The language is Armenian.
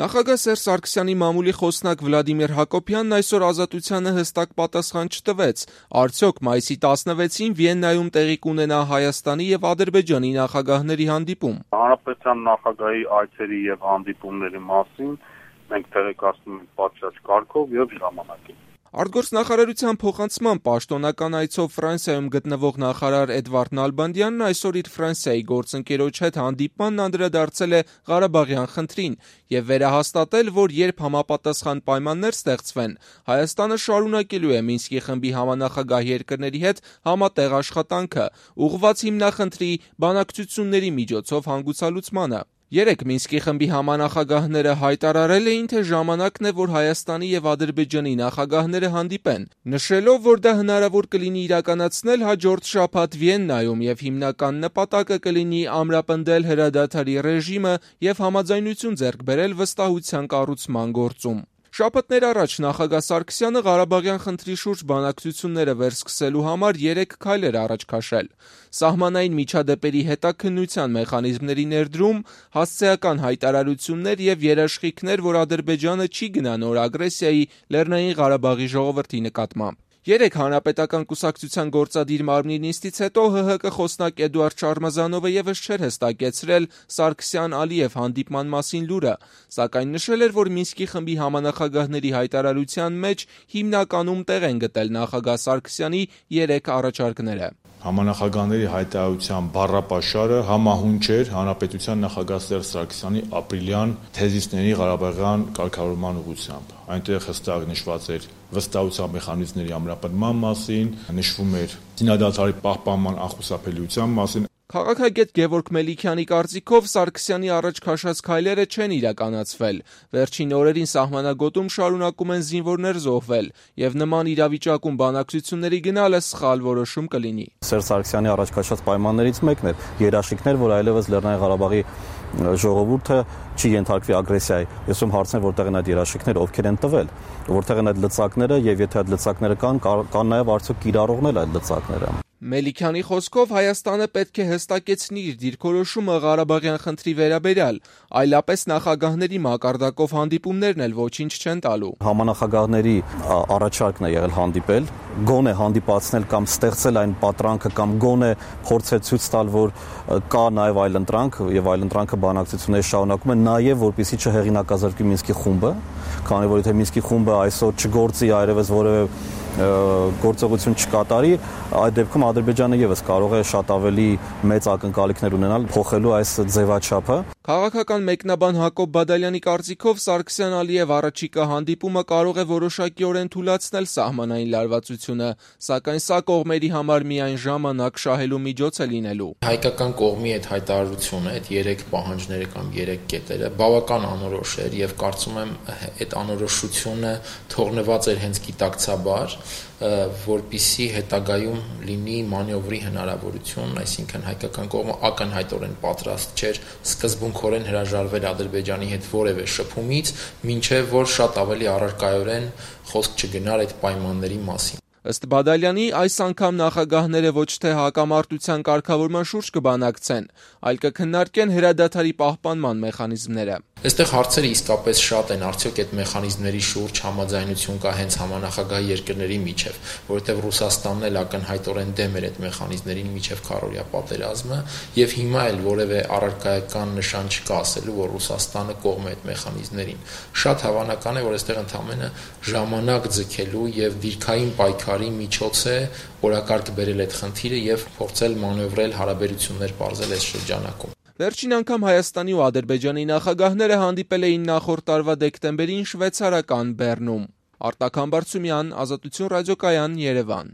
Նախագահ Սերժ Սարգսյանի մամուլի խոսնակ Վլադիմիր Հակոբյանն այսօր Ազատությանը հստակ պատասխան չտվեց. արդյոք մայիսի 16-ին Վիեննայում տեղի կունենա Հայաստանի եւ Ադրբեջանի նախագահների հանդիպում։ Հանրապետության նախագահի այցերի եւ հանդիպումների մասին մենք տեղեկացնում ենք պատշաճ կարգով եւ ժամանակին։ Արտգործնախարարության փոխանցման պաշտոնական այցով Ֆրանսիայում գտնվող նախարար Էդվարդ Նալբանդյանն այսօր իր Ֆրանսիայի գործընկերոջ հետ հանդիպմանն անդրադարձել է Ղարաբաղյան խնդրին եւ վերահաստատել, որ երբ համապատասխան պայմաններ ստեղծվեն, Հայաստանը շարունակելու է Մինսկի խմբի համանախագահ երկրների հետ համատեղ աշխատանքը, ուղղված հիմնախնդրի բանակցությունների միջոցով հանգուցալուծմանը։ Երեկ Մինսկի խմբի համանախագահները հայտարարել էին, թե ժամանակն է, որ Հայաստանի եւ Ադրբեջանի նախագահները հանդիպեն, նշելով, որ դա հնարավոր կլինի իրականացնել հաջորդ շաբաթ Վիեննայում եւ հիմնական նպատակը կլինի ամրապնդել հրադադարի ռեժիմը եւ համաձայնություն ձեռք բերել վստահության կառուցման գործում։ Շաբաթներ առաջ նախագահ Սարգսյանը Ղարաբաղյան խնդրի շուրջ բանակցությունները վերսկսելու համար 3 քայլեր առաջ քաշել։ Սահմանային միջադեպերի հետաքննության մեխանիզմների ներդրում, հասցեական հայտարարություններ եւ երաշխիքներ, որ Ադրբեջանը չի գնա նոր ագրեսիայի Լեռնային Ղարաբաղի ժողովրդի նկատմամբ։ Երեկ Հանրապետական կուսակցության գործադիր մարմնի նիստից հետո ՀՀԿ խոսնակ Էդուարդ Շարմազանովը եւս չէր հստակեցրել Սարգսյան-Ալիև հանդիպման մասին լուրը, սակայն նշել էր, որ Մինսկի խմբի համանախագահների հայտարարության մեջ հիմնականում տեղ են գտել նախագահ Սարգսյանի 3 առաջարկները։ Համանախագահների հայտարարության բառապաշարը համահունչ էր Հանրապետության նախագահ Սերժ Սարգսյանի ապրիլյան թեզիսների Ղարաբաղյան կարգավորման ուղղությամբ։ Այնտեղ հստակ նշված էր վստահության մեխանիզմների ամրապնդման մասին, նշվում էր զինադադարի պահպանման անխուսափելիության մասին։ Քաղաքագետ Գևորգ Մելիքյանի կարծիքով Սարգսյանի առաջ քաշած քայլերը չեն իրականացվել։ Վերջին օրերին սահմանագոտում շարունակում են զինվորներ զոհվել, եւ նման իրավիճակում բանակցությունների գնալը սխալ որոշում կլինի։ Սերժ Սարգսյանի առաջ քաշած պայմաններից մեկն էր երաշխիքներ, որ այլևս Լեռնային Ղարաբաղի ժողովուրդը չի ենթարկվի ագրեսիայի։ Ես ում հարցներ, որտեղ են այդ երաշխիքները, ովքեր են տվել, որտեղ են այդ լծակները եւ եթե այդ լծակները կան նաեւ արդյոք կիրառողն էլ այդ լծակները։ Մելիքյանի խոսքով Հայաստանը պետք է հստակեցնի իր դիրքորոշումը Ղարաբաղյան խնդրի վերաբերյալ, այլապես նախագահների մակարդակով հանդիպումներն էլ ոչինչ չեն տալու։ Համանախագահների առաջարկն է եղել հանդիպել, գոնե հանդիպացնել կամ ստեղծել այն պատրանքը կամ գոնե փորձել ցույց տալ, որ կա նաեւ այլընտրանք եւ այլընտրանքը բանակցությունների շարունակում է, նաեւ որպեսզի չհեղինակազրկվի Մինսկի խումբը, քանի որ եթե Մինսկի խումբը այսօր չգործի այլևս որևէ գործողություն չկատարի, այդ դեպքում Ադրբեջանը եւս կարող է շատ ավելի մեծ ակնկալիքներ ունենալ փոխելու այս ձևաչափը։ Քաղաքական մեկնաբան Հակոբ Բադալյանի կարծիքով Սարգսյան-Ալիև առաջիկա հանդիպումը կարող է որոշակիորեն թուլացնել սահմանային լարվածությունը, սակայն սա կողմերի համար միայն ժամանակ շահելու միջոց է լինելու։ Հայկական կողմի այդ հայտարարությունը, այդ 3 պահանջները կամ 3 կետերը բավական անորոշ էր եւ կարծում եմ այդ անորոշությունը թողնված էր հենց գիտակցաբար, որպիսի հետագայում լինի մանևրի հնարավորություն, այսինքն հայկական կողմը ակնհայտորեն պատրաստ չէր սկզբունքորեն հրաժարվել Ադրբեջանի հետ որևէ շփումից, մինչև որ շատ ավելի առարկայորեն խոսք չգնար այդ պայմանների մասին։ Ըստ Բադալյանի, այս անգամ նախագահները ոչ թե հակամարտության կարգավորման շուրջ կբանակցեն, այլ կքննարկեն հրադադարի պահպանման մեխանիզմները։ Այստեղ հարցերը իսկապես շատ են, արդյոք այդ մեխանիզմների շուրջ համաձայնություն կա հենց համանախագահ երկրների միջև, որովհետև Ռուսաստանն էլ ակնհայտորեն դեմ էր այդ մեխանիզմներին միջև քառօրյա պատերազմը, եւ հիմա էլ որևէ առարկայական նշան չկա ասելու, որ Ռուսաստանը կողմ է այդ մեխանիզմներին։ Շատ հավանական է, որ այստեղ ընդհանրապես ժամանակ ձգելու եւ դիրքային պայքարի միջոց է օրակարգ բերել այդ խնդիրը եւ փորձել մանևրել հարաբերություններ պարզել այս շրջանակում։ Վերջին անգամ Հայաստանի ու Ադրբեջանի նախագահները հանդիպել էին նախորդ տարվա դեկտեմբերին շվեյցարական Բեռնում։ Արտակ Համբարձումյան, Ազատություն ռադիոկայան, Երևան։